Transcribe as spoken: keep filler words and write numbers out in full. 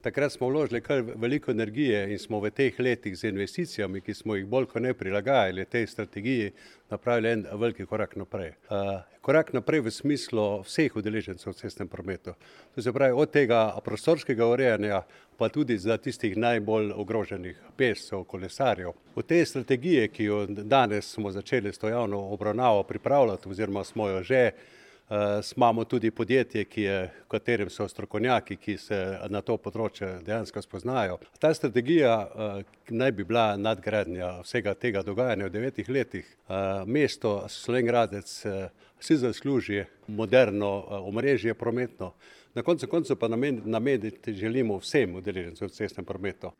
Takrat smo vložili kar veliko energije in smo v teh letih z investicijami, ki smo jih bolj kot ne prilagajali tej strategiji, napravili en veliki korak naprej. Korak naprej v smislu vseh udeležencev v cestnem prometu. To se pravi od tega prostorskega urejanja, pa tudi za tistih najbolj ogroženih pešcev, kolesarjev. V tej strategiji, ki jo danes smo začeli s to javno obravnavo pripravljati oziroma smo jo že, imamo tudi podjetje, ki je, v katerem so strokovnjaki, ki se na to področje dejansko spoznajo. Ta strategija naj bi bila nadgradnja vsega tega dogajanja v devetih letih. Mesto Slovenj Gradec si zasluži moderno omrežje prometno. Na koncu koncev pa nameniti želimo vsem udeležencem v cestnem prometu.